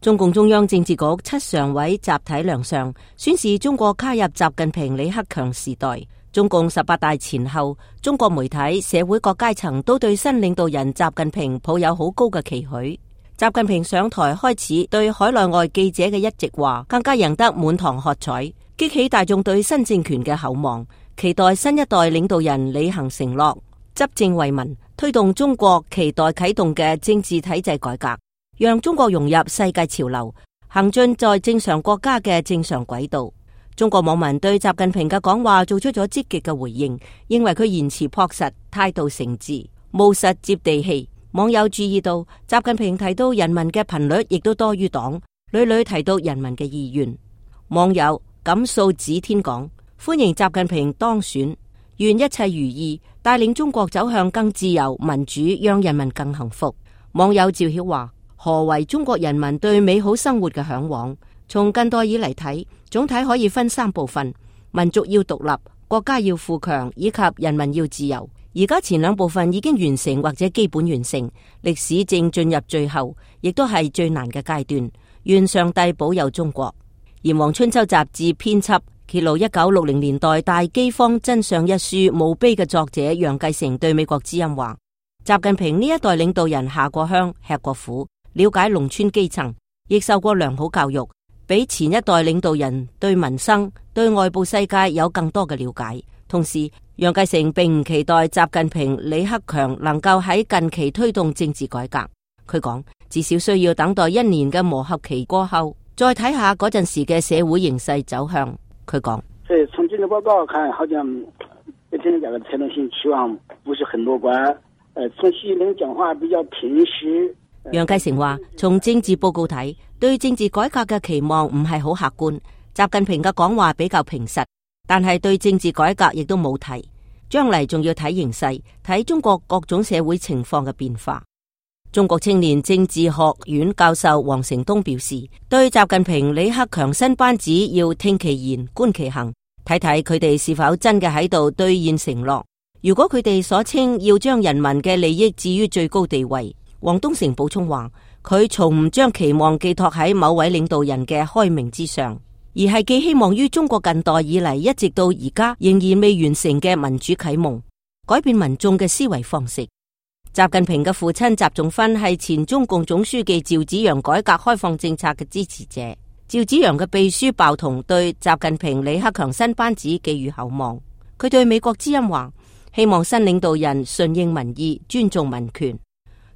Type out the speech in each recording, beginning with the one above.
中共中央政治局7常委集體亮相，宣示中國加入習近平、李克強時代。中共18大前後，中國媒體、社會各階層都對新領導人習近平抱有好高嘅期許。習近平上台開始，對海內外記者嘅一席話更加贏得滿堂喝彩，激起大眾對新政權嘅厚望，期待新一代領導人履行承諾，執政為民，推動中國期待啟動嘅政治體制改革，讓中國融入世界潮流，行進在正常國家嘅正常軌道。中國網民對習近平嘅講話做出咗積極嘅回應，認為佢言辭樸實，態度誠摯，務實接地氣。網友注意到，習近平提到人民嘅頻率亦都多於黨，屢屢提到人民嘅意願。網友錦素指天講，歡迎習近平當選，願一切如意，帶領中國走向更自由民主，讓人民更幸福。網友趙曉話，何為中國人民對美好生活嘅向往？從近代以嚟睇，總體可以分3部分：民族要獨立，國家要富強，以及人民要自由。而家前2部分已經完成或者基本完成，歷史正進入最後，亦都係最難嘅階段。願上帝保佑中國。《炎黃春秋》雜誌編輯揭露1960年代大饑荒真相一書墓碑嘅作者楊繼成對美國之音話，習近平呢一代領導人下過鄉，吃過苦，了解農村基層，亦受過良好教育，比前一代領導人對民生、對外部世界有更多嘅了解。同時，楊繼成並唔期待習近平、李克強能夠喺近期推動政治改革。佢講，至少需要等待1年嘅磨合期過後，再睇下嗰陣時嘅社會形勢走向。佢講，所以從這個報告看，好像對這個策略性期望不是很樂觀。從習近平講話比較平實。楊繼成話，從政治報告睇，對政治改革嘅期望唔係好客觀。習近平嘅講話比較平實，但係對政治改革亦都冇提。將嚟仲要睇形勢，睇中國各種社會情況嘅變化。中國青年政治學院教授黃成東表示，對習近平、李克強新班子要聽其言，觀其行，睇睇佢哋是否真嘅喺度兌現承諾。如果佢哋所稱要將人民嘅利益置於最高地位，黃東成補充話，佢從唔將期望寄託喺某位領導人嘅開明之上，而係寄希望於中國近代以嚟一直到而家仍然未完成嘅民主啟蒙，改變民眾嘅思維方式。習近平嘅父親習仲勳係前中共總書記趙紫陽改革開放政策嘅支持者。趙紫陽嘅秘書鮑彤對習近平、李克強新班子寄予厚望。佢對美國之音話，希望新領導人順應民意，尊重民權。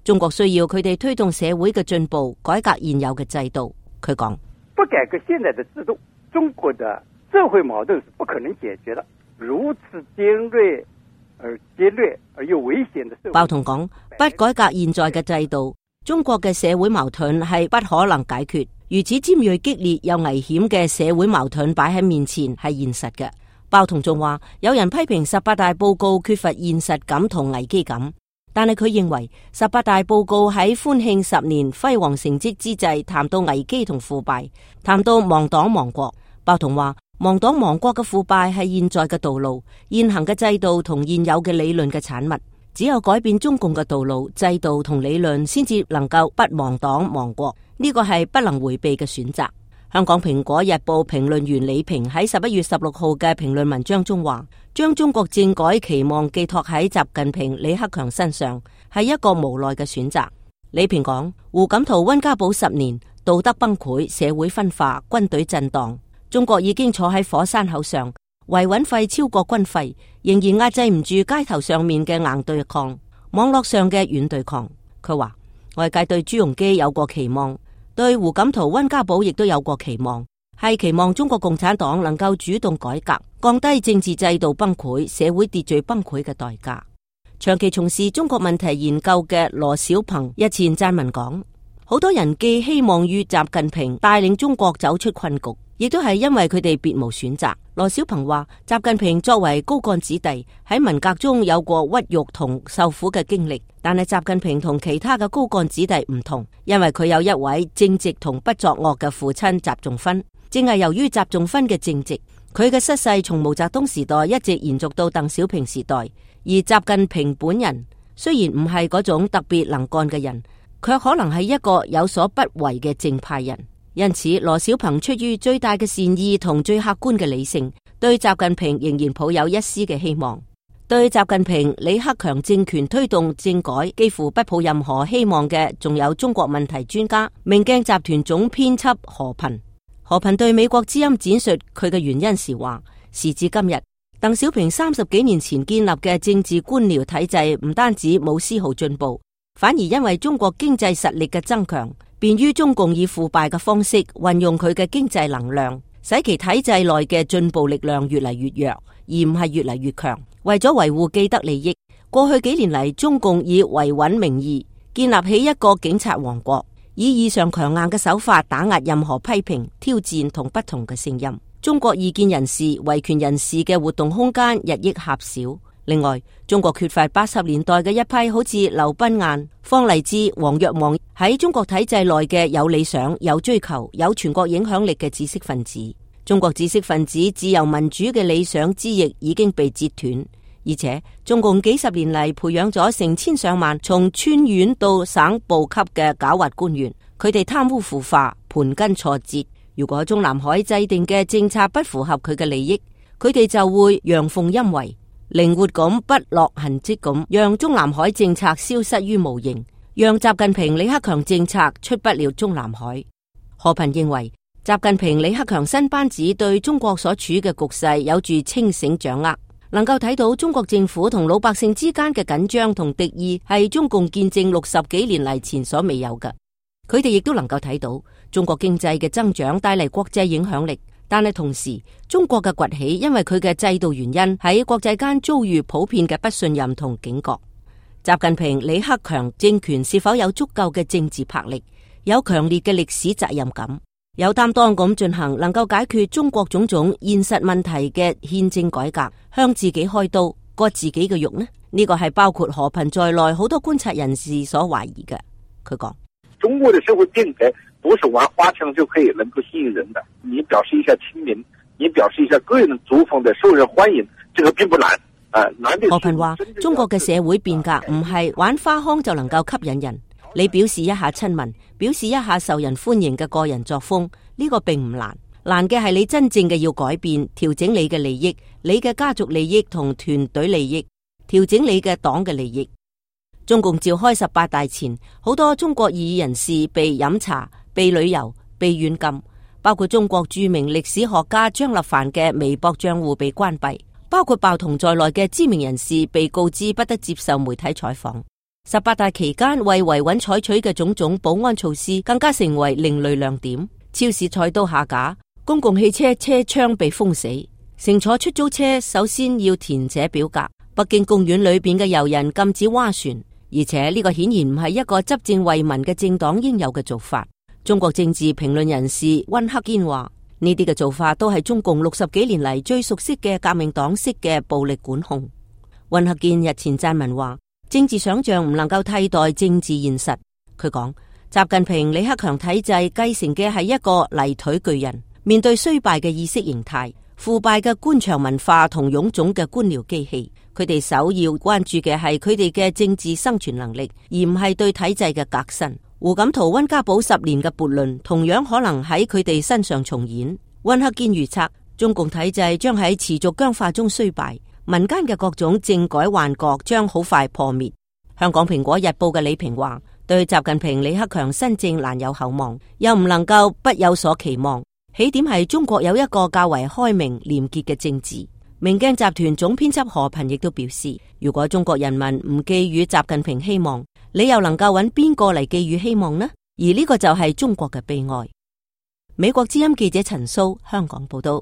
中國需要佢哋推動社會嘅進步，改革現有嘅制度。佢講，不改革現在的制度，中國的社會矛盾是不可能解決的。如此尖銳而激烈而又危險的社會。鮑彤講，不改革現在嘅制度，中國嘅社會矛盾係不可能解決。如此尖銳激烈又危險嘅社會矛盾擺喺面前係現實嘅。鮑彤仲話，有人批評18大報告缺乏現實感同危機感，但係佢認為18大報告喺歡慶10年輝煌成績之際，談到危機同腐敗，談到亡黨亡國。鮑彤話，亡黨亡國嘅腐敗係現在嘅道路，現行嘅制度同現有嘅理論嘅產物。只有改變中共嘅道路、制度同理論，先至能夠不亡黨亡國。呢個係不能迴避嘅選擇。香港蘋果日報評論員李平喺11月16號嘅評論文章中話，將中國政改期望寄託喺習近平、李克強身上，係一個無奈嘅選擇。李平講，胡錦濤溫家寶10年，道德崩潰，社會分化，軍隊震盪。中國已經坐喺火山口上，維穩費超過軍費，仍然壓制唔住街頭上面嘅硬對抗，網絡上嘅軟對抗。佢話，外界對朱鎔基有過期望，對胡錦濤、溫家寶亦都有過期望，係期望中國共產黨能夠主動改革，降低政治制度崩潰、社會秩序崩潰嘅代價。長期從事中國問題研究嘅羅小鵬日前撰文講，好多人寄希望於習近平帶領中國走出困局，亦都係因為佢哋別無選擇。羅小鵬話，習近平作為高幹子弟，喺文革中有過屈辱同受苦嘅經歷，但係習近平同其他嘅高幹子弟唔同，因為佢有一位正直同不作惡嘅父親習仲勳。正係由於習仲勳嘅正直，佢嘅失勢從毛澤東時代一直延續到鄧小平時代。而習近平本人雖然唔係嗰種特別能幹嘅人，卻可能係一個有所不為嘅正派人。因此，羅小鵬出於最大嘅善意同最客觀嘅理性，對習近平仍然抱有一絲嘅希望。對習近平、李克強政權推動政改幾乎不抱任何希望嘅，仲有中國問題專家明鏡集團總編輯何頻。何頻對美國之音展述佢嘅原因時話：時至今日，鄧小平30幾年前建立嘅政治官僚體制唔單止冇絲毫進步，反而因為中國經濟實力嘅增強，便於中共以腐敗嘅方式運用佢嘅經濟能量，使其體制內嘅進步力量越嚟越弱，而唔係越嚟越強。為咗維護既得利益，過去幾年嚟，中共以維穩名義建立起一個警察王國，以異常強硬嘅手法打壓任何批評、挑戰同不同嘅聲音。中國異見人士、維權人士嘅活動空間日益狹小。另外，中國缺乏80年代嘅一批好似劉賓雁、方勵之、王若望喺中國體制內嘅有理想、有追求、有全國影響力嘅知識分子。中國知識分子自由民主嘅理想之翼已經被截斷，而且中共幾十年嚟培養咗成千上萬從村縣到省部級嘅狡猾官員，佢哋貪污腐化、盤根錯節。如果中南海制定嘅政策不符合佢嘅利益，佢哋就會陽奉陰違，靈活咁不落痕跡咁，讓中南海政策消失於無形，讓習近平、李克強政策出不了中南海。何頻認為，習近平、李克強新班子對中國所處嘅局勢有住清醒掌握，能夠睇到中國政府同老百姓之間嘅緊張同敵意係中共建政60幾年嚟前所未有嘅。佢哋亦都能夠睇到中國經濟嘅增長帶嚟國際影響力，但係同時中國嘅崛起因為佢嘅制度原因喺國際間遭遇普遍嘅不信任同警覺。習近平、李克強政權是否有足夠嘅政治魄力，有強烈嘅歷史責任感，有擔當咁進行能夠解決中國種種現實問題嘅憲政改革，向自己開刀割自己嘅肉呢？呢個係包括何頻在內好多觀察人士所懷疑嘅。佢講：中國的社會變革不是玩花槍就可以能夠吸引人的，你表示一下親民，你表示一下個人族風的受人歡迎，這個並不難。何頻話：中國嘅社會變革唔係玩花腔就能夠吸引人，你表示一下親民，表示一下受人歡迎嘅個人作風，呢個並唔難，難嘅係你真正嘅要改變，調整你嘅利益，你嘅家族利益同團隊利益，調整你嘅黨嘅利益。中共召開18大前，好多中國異議人士被飲茶、被旅遊、被軟禁，包括中國著名歷史學家張立凡嘅微博賬戶被關閉，包括鮑彤在內嘅知名人士被告知不得接受媒體採訪。18大期間為維穩採取嘅種種保安措施更加成為另類亮點，超市菜刀下架，公共汽車車窗被封死，乘坐出租車首先要填寫表格，北京公園裏邊嘅遊人禁止划船。而且呢個顯然唔係一個執政為民嘅政黨應有嘅做法。中國政治評論人士溫克堅話：呢啲嘅做法都係中共60幾年嚟最熟悉嘅革命黨式嘅暴力管控。溫克堅日前撰文話：政治想象唔能夠替代政治現實。佢講：習近平、李克強體制繼承嘅係一個泥腿巨人，面對衰敗嘅意識形態、腐敗嘅官場文化同臃腫嘅官僚機器，佢哋首要關注嘅係佢哋嘅政治生存能力，而唔係對體制嘅革新。胡錦濤、溫家寶10年嘅悖論同樣可能喺佢哋身上重演。溫克堅預測，中共體制將喺持續僵化中衰敗，民間嘅各種政改幻覺將好快破滅。香港蘋果日報嘅李平話：對習近平、李克強新政難有厚望，又唔能夠不有所期望。起點係中國有一個較為開明廉潔嘅政治。明鏡集團總編輯何頻亦都表示，如果中國人民唔寄予習近平希望，你又能夠揾邊個嚟寄予希望呢？而呢個就係中國嘅悲哀。美國之音記者陳蘇香港報道。